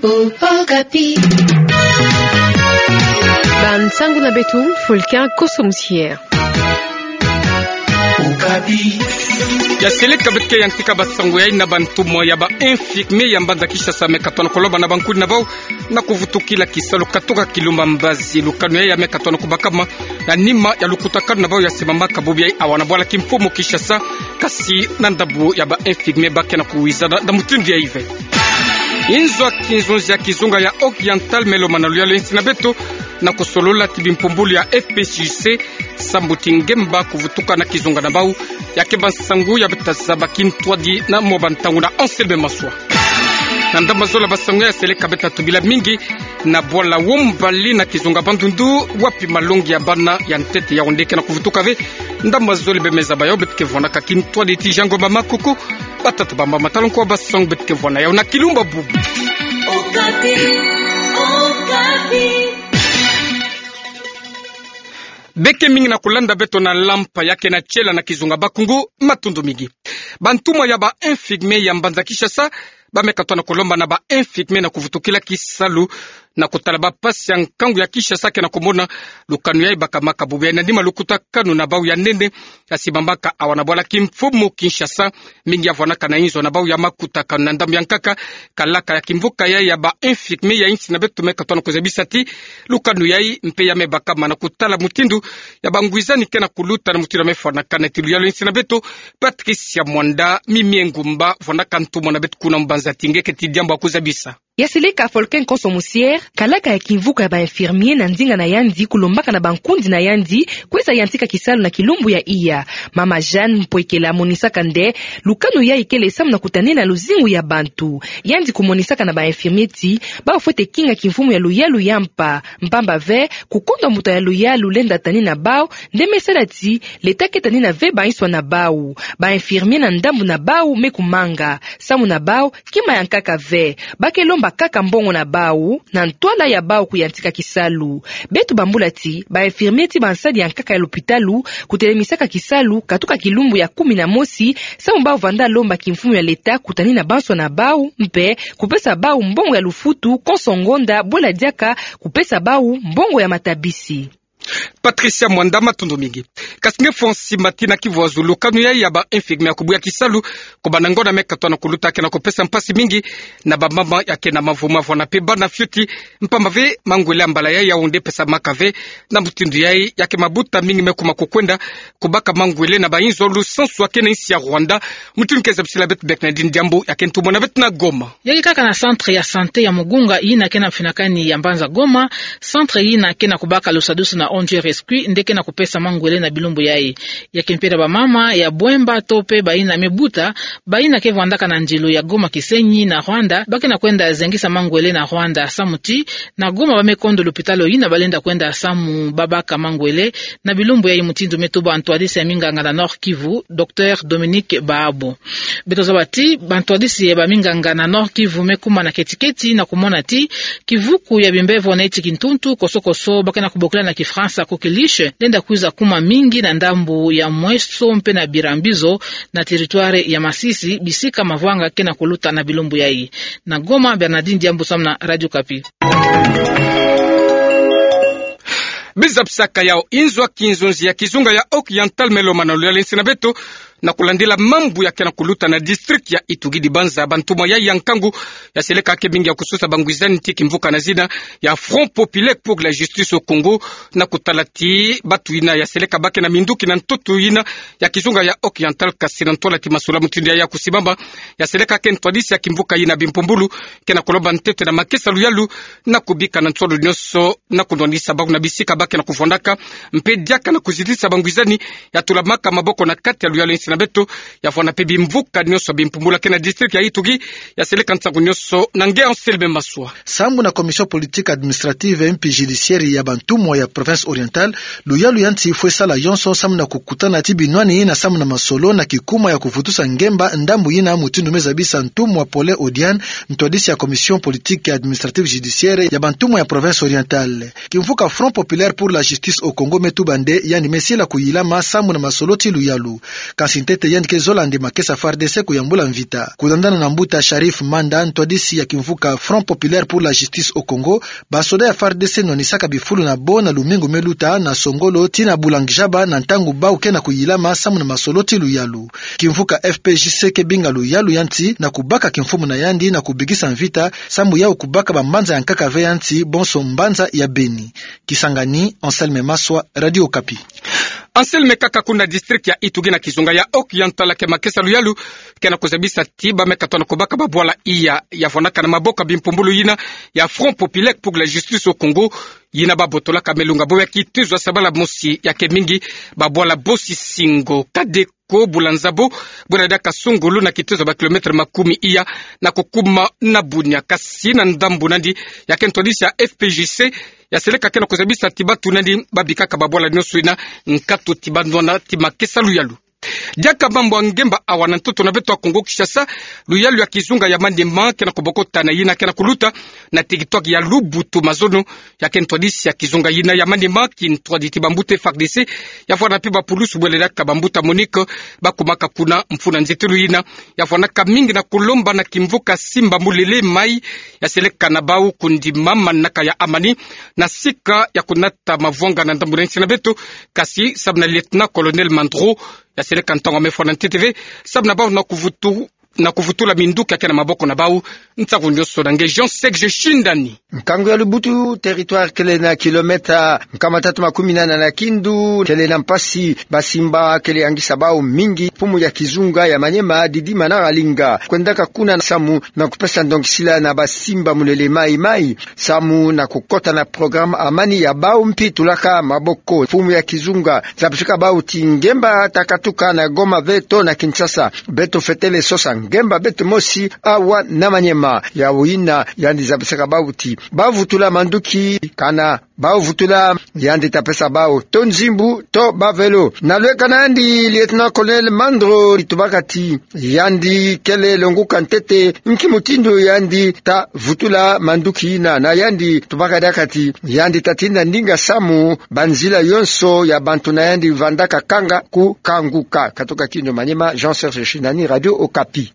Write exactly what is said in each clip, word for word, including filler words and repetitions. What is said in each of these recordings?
Okapi. Bansangu na beto, Fulcan Kosso Musier. Okapi. Ya seleka beto ke yantika basangu yai na bantumwa ya ba infirmier ya mbanza Kinshasa me katono kolomba na bankundi na bau na kuvutukila kisalu katoka kilumbu ya mbazi. Lukanu yai ya me katono kubakama na nima ya lukutakanu na bau ya simama kabubi yai awa na bwala kimfumu Kinshasa, kasi na ndambu ya ba infirmier ba ke na kuwizana na mutindu yai ve. Inzo ya kinzonzi ya kizunga ya Oriental me lomana luyalu ya nsi na beto na kusolola ti bimpumbulu ya F P C C, sambu ti ngemba kuvutuka na kizunga na bau, ya keba nsangu ya beta zaba kintwadi na mwa bantangu na Anselme Maswa. Na ndambu zole basangu ya seleka beta tubila mingi na bwala Wombali na kizunga Bandundu, wapi malongi ya bana ya ntete ya onde ke na kuvutuka ve. Ndambu zole bemeza bayo beto ke vwanaka kintwadi ti Jean Ngoma Makuku, batata bamama, tala nko basangu beto ke vwana yau na kilumbu bubu. Okapi, Okapi. Beke mingi na kulanda beto na lampa ya ke na tiela na kizunga Bakungu, matondo mingi. Bantumwa ya ba infirmier ya mbanza Kinshasa, ba me katono kolomba na ba infirmier na kuvutukila kisalu na kutala bampasi ya nkangu ya Kinshasa ke na kumona. Lukanu yai bakama kabubi yai na nima lukutakanu na bau ya nene ya simamaka awa na bwala kimfumu Kinshasa, mingi ya vwanaka na inzo na bau ya makutakanu. Na ndambu ya nkaka, kalaka ya kimvuka yai ya ba infirmier ya nsi na beto me katono kuzabisa ti lukanu yai mpe ya me bakama na kutala mutindu ya bangwizani ke na kuluta na mutindu ya me fwanakana. Ti luyalu ya nsi na beto, Patricia Mwanda, Mimie Ngumba, vwanaka ntumwa na beto kuna mbanza ti nge ke ti diambu ya kuzabisa. Ya seleka Fulcan Kosso Musier, kalaka ya kimvuka ya ba infirmier na ndinga na yandi kulombaka na bankundi na yandi, kweza yantika kisalu na kilumbu ya iya. Mama Jeanne Mpwekela amonisaka nde lukanu yai kele samu na kutanina luzingu ya bantu. Yandi kumonisaka na ba infirmier ti bau fwete kinga kimfumu ya luyalu ya mpa, mpamba ve kukondwa mbuta ya luyalu lenda tanina bau, nde me sala ti leta ke tanina ve banswa na bau. Ba infirmier na ndambu na bau me kumanga, samu na bau kima ya nkaka ve. Ba ke lomba kaka mbongo na bau na ntwala ya bau kuyantika kisalu. Beto bambula ti ba infirmier ti bansadi ya nkaka ya lopitalu kutelemisaka kisalu katuka kilumbu ya kumi na mosi, samu bau vanda lomba kimfumu ya leta kutanina banswa na bau, mpe kupesa bau mbongo ya lufutu konso ngonda, bwela diaka kupesa bau mbongo ya matabisi. Patricia Mwanda, matondo mingi. Kasi nge Francis Mati na kivuazulu, lukanu yai ya ba infirmier ya kubuya kisalu, kubanda ngonda me katono kuluta ke na kupesa mpasi mingi na bamama ya ke na mavu ma vwana mpe bana fioti, mpamba ve mangwele ya mbala yai ya onde pesamaka ve. Na mutindu yai ya ke mabuta mingi me kuma kukwenda kubaka mangwele na bainzo lusansu ya ke na insi ya Rwanda. Mutindu ke zabisila beto Bernardine Diambu, ya ke ntumwa na beto na Goma. Ya ke kaka na centre ya santé ya Mugunga yina ke na mfinakani ya mbanza Goma, centre yina ke na kubaka lusadusu na O N G Rescue nde ke na kupesa mangwele na bilumbu yai. Ya ke mpe na bamama ya Bwemba to mpe bayina me buta, bayina ke vandaka na nzilo ya Goma Kisenyi na Rwanda, ba ke na kwenda zengisa mangwele na Rwanda, samu ti na Goma ba me kondo lopitalo yina ba lenda kwenda samu babaka mangwele na bilumbu yai, mutindu me tuba ntwadisi ya minganga na Nord-Kivu, Docteur Dominique Baabo. Beto zaba ti bantwadisi ya baminganga na Nord-Kivu me kuma na keti-keti na kumona ti kivuku ya bimbevo neti kintuntu koso-koso ba ke na kubokila na Kifaransa coqueluche lenda kwiza kuma mingi na ndambu ya Mweso mpe na Birambizo, na territoire ya Masisi, bisika mavwanga ke na kuluta na bilumbu yai. Na Goma, Bernardine Diambu samu na Radio Okapi. Bizabisaka yau, inzo ya kinzonzi ya kizunga ya Oriental me lomana luyalu ya nsi na beto na kulandila mambu ya ke na kuluta na district ya Ituri, dibanza bantumwa yai ya nkangu ya seleka ke mingi ya kusosa bangwizani ti kimvuka na zina ya Front Populaire pour la Justice au Congo, na kutala ti batu yina ya seleka ba ke na minduki na ntoto yina ya kizunga ya Oriental, kasi na ntwala ti masolo mutindu yai ya kusimama, ya seleka ke ntwadisi ya kimvuka yina bimpumbulu ke na kulomba ntete na makesa luyalu na kubika na nsolo nyonso na kunwanisa bau na bisika ba ke na kuvwandaka, mpe diaka na kuzitisa bangwizani ya tulamaka maboko na kati ya luyalu ya nsi na beto, ya vwana mpe bimvuka nyonso bimpumbulu ya ke na district ya Ituri. Ya seleka nsangu nyonso na nge Anselme Maswa. Sambu na Commission Politique Administrative mpe Judiciaire ya bantumwa ya Province Orientale, luyalu ya nsi fwe sala yonso samu na kukutana ti binwani na samu na masolo na kikuma ya kuvutusa ngemba ndambu yina, mutindu me zabisa ntumwa Paulin Odiane, ntwadisi ya Commission Politique Administrative Judiciaire ya bantumwa ya Province Orientale. Kimvuka Front Populaire pour la Justice au Congo me tuba nde yandi me sila kuyilama samu na masolo ti luyalu. Kasi ntete yandi ke zola nde makesa F A R D C kuyambula mvita. Kulandana na mbuta Sharif Manda, ntwadisi ya kimvuka Front Populaire pour la Justice au Congo, basoda ya F A R D C nwanisaka bifulu na bo na lumingu me luta na Songolo tii na Boulangijaba na ntangu bau ke na kuyilama samu na masoloti luyalu. Kimvuka F P J C ke binga luyalu ya nti na kubaka kimfumu na yandi na kubikisa mvita, samu yau kubaka bambanza ya nkaka ve ya nti bonso mbanza ya Beni. Kisangani, Anselme Maswa, Radio Okapi. Anselme, kaka kuna district ya Ituri na kizunga ya Haut-Oriental ke makesa luyalu ke na kuzabisa ti bameka tona kubaka babwala iya ya fwanaka na maboko ya bimpumbulu yina ya Front Populaire pour la Justice au Congo, yina babotolaka me lunga bo ya kitezo ya sabala mosi ya ke mingi babwala bosi singo kade ko bula nzabo, bwela diaka sungulu na kitezo ya ba kilomètre makumi iya na kukuma na Bunia. Kasi na ndambu nandi, ya ke ntwadisi ya F P J C ya seleka ke na kuzabisa ti batu nandi babikaka babwala nionso yina nkatu ti banwana ti makesa luyalu. Diaka mambu ya ngemba awa na ntoto na beto ya Kongo Kinshasa, luyalu ya kizunga ya Maniema ke na kubokota na yina ke na kuluta na territoire ya Lubutu-Mazono. Ya ke ntwadisi ya kizunga yina ya Maniema, kintwadi ti bambuta F A R D C, ya fwana mpe bapulusu bwela diaka bambuta MONUC, bakumaka kuna mfunu ya nzitilu yina. Ya fwanaka mingi na kulomba na kimvuka Simba Mulele Mayi, ya seleka na bau kundima manaka ya amani na sika ya kunata mavwanga na ndambu na nsi na beto, kasi samu na lieutenant-colonel Mandro, ya seleka ntangu ya me fwana ntete ve samu na bau na kuvutu na kuvutula minduki ya ke na maboko na bau. Ntangu nionso na nge Jean Serge Shindani. Nkangu ya Lubutu, territoire kele na kilomètre nkama tatu makumi nana na kindu, kele na mpasi, basimba kele angisa bau mingi. Mfumu ya kizunga ya Maniema, Didi Manara Linga, kwendaka kuna samu na kupesa ndongisila na basimba Mulele Mayi Mayi samu na kukota na programme amani ya bau mpi tulaka maboko. Mfumu ya kizunga zabisaka bau ti ngemba ta katuka na Goma ve to na Kinshasa, beto fwetele sosa ngemba beto mosi awa na Maniema. Yau yina yandi zabisaka bau ti bavutula manduki, kana bavutula, yandi ta pesa bau to nzimbu to ba vélo. Na lweka na yandi, lieutenant-colonel Mandro, tubaka ti yandi kele longuka ntete nki mutindu yandi ta vutula manduki yina. Na yandi tubaka diaka ti yandi ta tinda ndinga samu banzila yonso ya bantu na yandi vandaka kanga kukanguka. Katuka kindu Maniema, Jean Serge Shindani, Radio Okapi.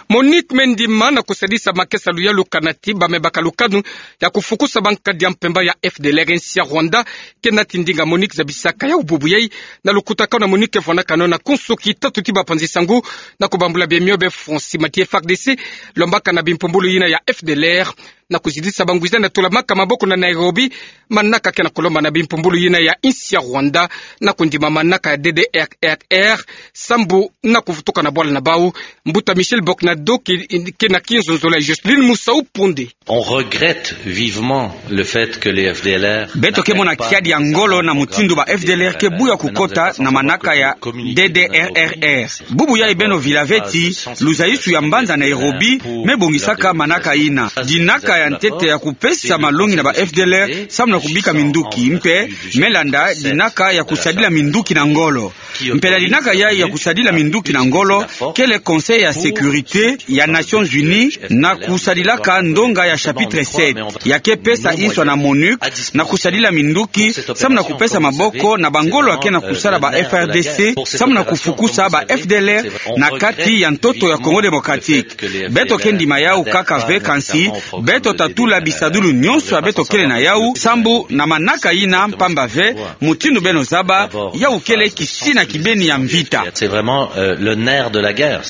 MONUC me ndima na kusadisa makesa luyalu kana ti ba me baka lukanu ya kufukusa bankadi ya mpemba ya F D L R nsi ya Rwanda. Kena ti ndinga MONUC zabisaka yau bubu yai na lukutakanu na MONUC ke fwanakano na kunsuki tatu ti bapanzi sangu na kubambula bemio be Francis Mati F A R D C, lombaka na bimpumbulu yina ya F D L R na kuzidisa bangwiza na tulamaka maboko na Nairobi, manaka ke na kulomba na bimpumbulu yina ya nsi ya Rwanda na kundima manaka ya D D R R R, sambu na kuvutuka na bwala na bau. Mbuta Michel Boknado ke, ke na kinzonzolo ya Jocelyne Musau Ponde. On regrette vivement le fait que les F D L R... Beto ke mona kiadi ya ngolo na mutindu ba F D L R ke buya kukota na manaka ya D D R R R. Bubu yai beno vila ve ti luzaisu ya mbanza Nairobi me bongisaka manaka yina. Dinaka ya ntete ya kupesa malongi na ba F D L R samu na kubika minduki, mpe me landa dinaka ya kusadila minduki na ngolo. Mpela dinaka yai ya kusadila minduki na ngolo kele Conseil ya Sécurité ya Nations Unies na kusadilaka ndonga ya chapitre sept. Ya ke pesa nswa na MONUC na kusadila minduki samu na kupesa maboko na bangolo ya ke na kusala ba F A R D C samu na kufukusa ba F D L R na kati ya ntoto ya Congo Démocratique. Beto ke ndima yau kaka ve, kansi beto ta tula bisadulu nyonso ya beto kele na yau sambu na manaka yina, mpamba ve mutindu beno zaba, yau kele kisina kibeni ya mvita. C'est vraiment, euh, le nerf de la guerre.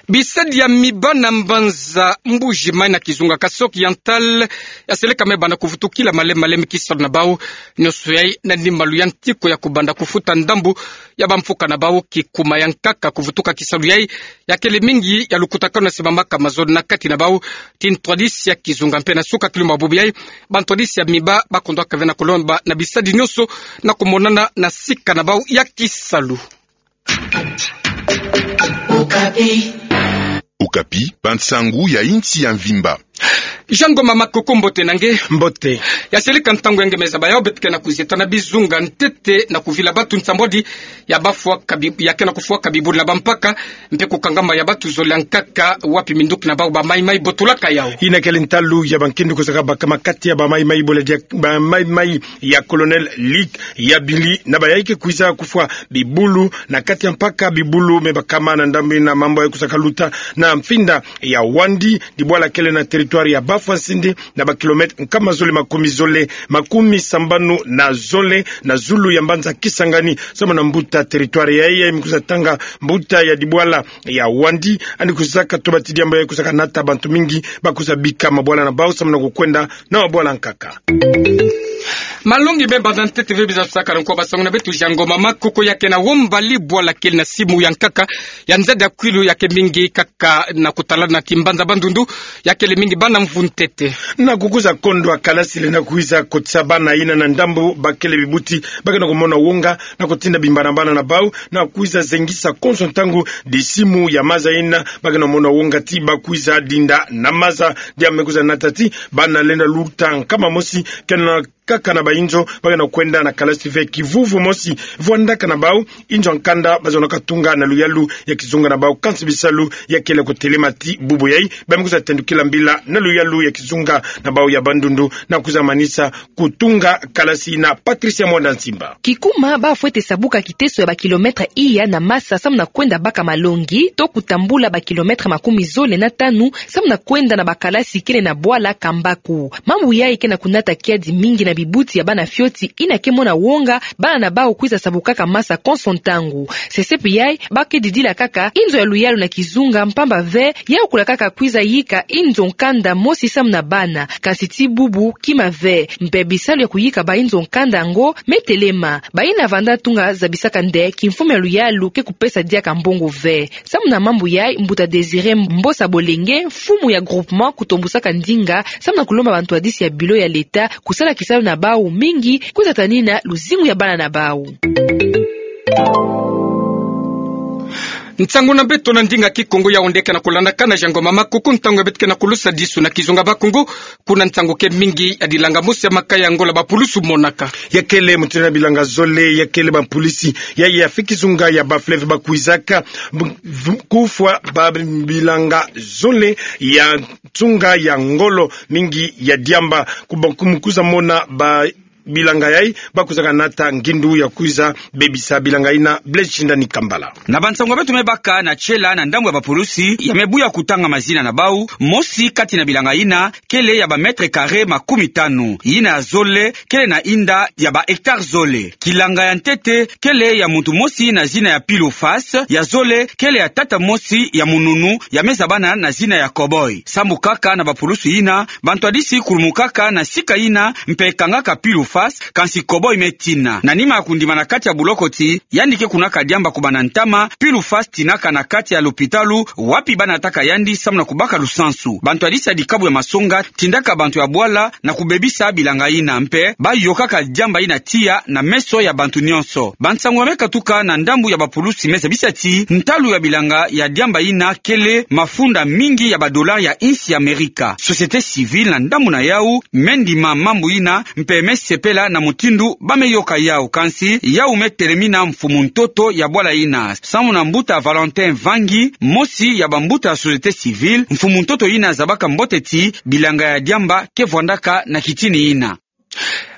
Bisadi ya miba na mbanza Mbuji-Mayi na kizunga Kasai Oriental ya seleka me banda kuvutukila malembe malembe kisalu na bau. Nyonso yai na ni malu ya ntiko ya kubanda kufuta ndambu ya bamfuka na bau. Kikuma ya nkaka kuvutuka kisalu yai ya kele mingi ya lukutakanu na simbamaka mazono na kati na bau ti ntwadisi ya kizunga. Mpe na suka kilumbu bubu yai, bantwadisi ya miba bakondwaka ve na kulomba na bisadi nyonso na kumonana na sika na bau ya kisalu. Okapi, bansangu ya insi ya mvimba. Jean Ngoma Makuku, mbote na nge. Mbote. Ya seleka ntangu ya nge me zaba yawu, beto ke na kuzieta na bizunga ntete na kuvila batu nsambwadi ya bafwaka bi-, ya ke na kufwaka bibulu na bampaka, mpe kukangama ya batu zole ya nkaka, wapi minduki na bawu ba maimai botolaka yawu. Yina kele ntalu ya bankindu kusaka baka na kati ya ba maimai bola dia, ba maimai ya Colonel Luc Yabili, na bayayi ke kwiza kufwa bibulu na kati ya mpaka, bibulu me bakama na ndambu yina mambu yayi kusaka luta na mfinda ya Wandi, dibwala kele na territoire ya Bafwa-Nsindi, na ba kilomètre nkama zole makumi zole, makumi sambanu na zole, na zulu ya mbanza Kisangani, samu na mbuta territoire yayi, yayi me kwiza tanga mbuta ya dibwala ya Wandi, yandi kwizaka toba ti diambu yayi kwizaka nata bantu mingi ba kwiza bika mabwala na bawu samu na kukwenda na mabwala nkaka. Malongi me banda ntete ve biza tusaka na nko basangu na beto Jean Ngoma Makuku. Ya ke na Wombali, bwala kele na simu ya nkaka ya nzadi ya kwilu ya ke mingi kaka na kutala na kimbanza Bandundu, ya kele mingi bana mvu ntete. Na kukwiza kondwa kalasi lenda kwiza kotisa bana yina na ndambu ba kele bibuti, ba ke na kumona wonga na kutinda bimbanabana na bawu, na kwiza zengisa konso ntangu disimu ya maza yina, ba ke na mona wonga ti ba kwiza dinda na maza. Diambu me kwiza nata ti bana lenda luta nkama mosi, kena kaka na bayinzo, ba ke na kwenda na kalasi ve kivuvu mosi vwandaka na bawu. Inzo ya nkanda ba zonaka tunga na luyalu ya kizunga na bawu, kansi bisalu ya kele kutelema ti bubu yayi, ba me kwiza tendukila mbila na luyalu ya kizunga na bawu ya Bandundu, na kwiza manisa kutunga kalasi na Patricia Mwanda Nsimba. Kikuma ba fwete sabuka kiteso ya ba kilomètre iya na masa samu na kwenda baka malongi, to kutambula ba kilomètre makumi zole na tanu samu na kwenda na ba kalasi kele na bwala Kambaku. Mambu yayi ke na kunata kiadi mingi na bibuti ya bana fioti yina ke mona wonga bana na bawu kwiza sabukaka masa konso ntangu. Sesepi yayi, ba ke didila kaka inzo ya luyalu na kizunga, mpamba ve yawu kula kaka kwiza yika inzo nkanda mosi samu na bana, kansi ti bubu kima ve, mpe bisalu ya kuyika ba inzo nkanda yango me telema. Bayina vanda tunga zabisaka nde kimfumu ya luyalu ke kupesa diaka mbongo ve. Samu na mambu yayi, mbuta Désiré Mbosa Bolenge, mfumu ya groupement Kutombusaka Ndinga, samu na kulomba bantwadisi ya bilo ya leta kusala kisalu na bawu mingi, kwiza tanina luzingu ya bana na bawu. Nsangu na beto na ndinga Kikongo yawu nde ke na kulandakana. Jean Ngoma Makuku, ntangu ya beto ke na kulusa disu na kizunga Bakongo, kuna nsangu ke mingi ya dilanga mosi ya makaya ya Ngola bapulusu monaka. Ya kele mutindu na bilanga zole, ya kele bapulusi ya, ya fiki zunga ya ba fleuve ba kwizaka bu-, vu-, kufwa ba bilanga zole ya nsunga ya ngolo mingi ya diamba, kuba-, ku-, mu kwiza mona ba bilanga yayi ba kwizaka nata ngindu ya kwiza bebisa bilanga yina. Blaise Shindani Kambala. Na bansangu ya beto me baka na tiela na ndambu ya bapulusi, ya me buya kutanga mazina na bawu, mosi kati na bilanga yina kele ya ba mètres carrés makumi tanu, yina ya zole kele na inda ya ba hectares zole. Kilanga ya ntete kele ya muntu mosi na zina ya Pilofas, ya zole kele ya tata mosi ya mununu, ya me zabana na zina ya Cowboy. Sambu kaka na bapulusu yina, bantwadisi kulumukaka na sika yina mpe kangaka Pilofas, kansi Cowboy me tina. Na nima ya kundima na kati ya buloko ti yandi ke kunaka diamba kubanda ntama, Pilofas tinaka na kati ya lopitalu, wapi ba nataka yandi samu na kubaka lusansu. Bantwadisi ya dikabu ya masonga tindaka bantu ya bwala na kubebisa bilanga yina, mpe ba yokaka diamba yina tiya na meso ya bantu nyonso. Bansangu ya me katuka na ndambu ya bapulusi me zabisa ti ntalu ya bilanga ya diamba yina kele mafunda mingi ya ba dollars ya insi ya Amerika. Société civile na ndambu na yawu me ndima mambu yina, mpe me sepela na mutindu ba me yoka yawu, kansi yawu me telemina mfumu ntoto ya bwala yina. Samu na mbuta Valentin Vangi, mosi ya bambuta ya société civile, mfumu ntoto yina zabaka mbote ti bilanga ya diamba ke vwandaka na kitini yina.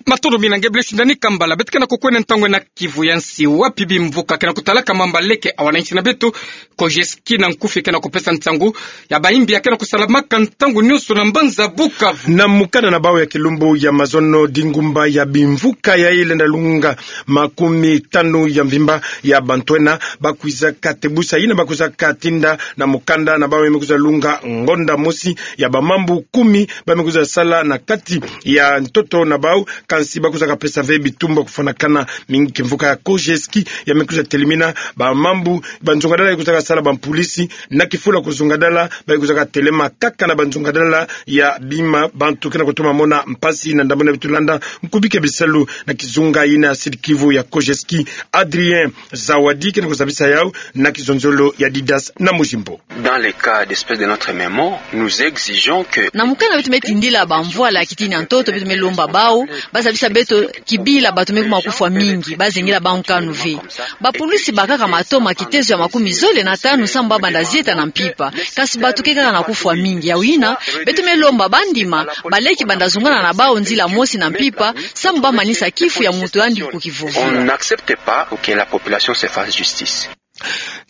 Matondo mingi na nge Blaise Shindani Kambala. Beto ke na kukwenda ntangu na kivu ya nsi, wapi bimvuka ke na kutalaka mamba leke ya wanansi na beto. Kojeski na nkufi ke na kupesa nsangu ya bayimbi ya ke na kusalamaka ntangu nyonso na mbanza Bukavu. Na mukanda na bawu ya kilumbu ya mazono, dingumba ya bimvuka yayi lenda lunga makumi tanu ya mvimba ya bantwenya ba kwizaka tebusa yina ba kwizaka tinda na mukanda na bawu ya me kwiza lunga ngonda mosi ya bamambu kumi ba me kwiza sala na kati ya ntoto na bawu, Kansi ba kwiza kapesa ve bitumbu ya kufwanakana mingi kimvuka ya Kojeski, ya me kwiza telemina bamambu, banzungadala ya kwiza kasala bampulisi, na kifula kuzungadala, ba kwiza katelema kaka na banzungadala ya bima bantu ke na kutoma mona mpasi na ndambu na beto landa, mkubike bisalu na kizunga yina ya Sud-Kivu ya Kojeski, Adrien Zawadi ke na kuzabisa yau na kizonzolo ya Didas na Mujimbo. Dans les cas d'espèces de notre mémoire, nous exigeons que... Na mukanda beto me tindila bamvwala ya kitini ya ntoto, beto me lomba bau bazabisa beto kibila bato me kuma kufwa mingi, bazengela bau nkanu ve. Bapulisi bakaka mato ma kitezo ya makumi zole na tanu samu bau banda zieta na mpimpa. Kansi bato ke kaka na kufwa mingi. Yawu yina, beto me lomba bandima baleki banda zungana na bau nzila mosi na mpimpa, samu bau manisa kifu ya moto yandi ku kivovo. On n'accepte pas que la population se fasse justice.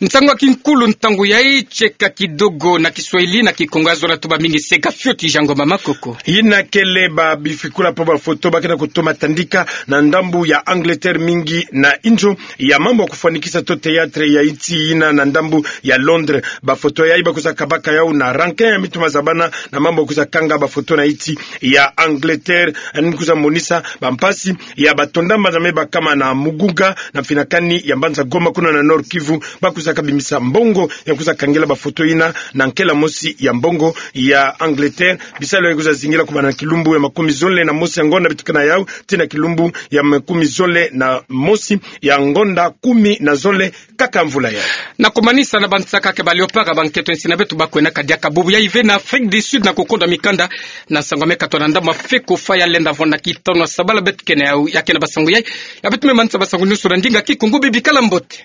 Nsangu ya kinkulu ntangu yayi, tieka kidogo na Kiswahili, na Kikongo ya zola tuba mingi, seka fioti, Jean Ngoma Makoko. Yina kele ba bifikula mpo bafoto ba ke na kutoma tandika na ndambu ya Angleterre mingi na inzo ya mambu ya kufwanikisa to théâtre ya insi yina na ndambu ya Londres. Bafoto yayi ba kwiza kabaka yau na rankin ya mitu ma zabana na mambu ya kwiza kanga bafoto na insi ya Angleterre, ni kwiza monisa bampasi ya bato ndamba na me bakama na mugunga na mfinakani ya mbanza Goma kuna na Nord-Kivu, ba kwiza kabimisa mbongo ya kwiza kangela bafoto yina na nkela mosi ya mbongo ya Angleterre. Bisalu yayi kwiza zingila kubanda na kilumbu ya makumi zole na mosi ya ngonda bitukana yau tii na kilumbu ya makumi zole na mosi ya ngonda kumi na zole kaka mvula yayi. Na kumanisa na bansaka ke ba Léopards ba nkento nsi na beto ba kwenda kadiaka bubu yayi ve na Afrique du Sud na kukonda mikanda na nsangu ya me katwa na ndambu ya Fecofoot ya lenda vwanda kitono sabala. Beto ke na yau ya ke na basangu yayi, ya beto me manisa basangu nyonso na ndinga Kikongo. Bibikala mbote.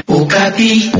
Okapi.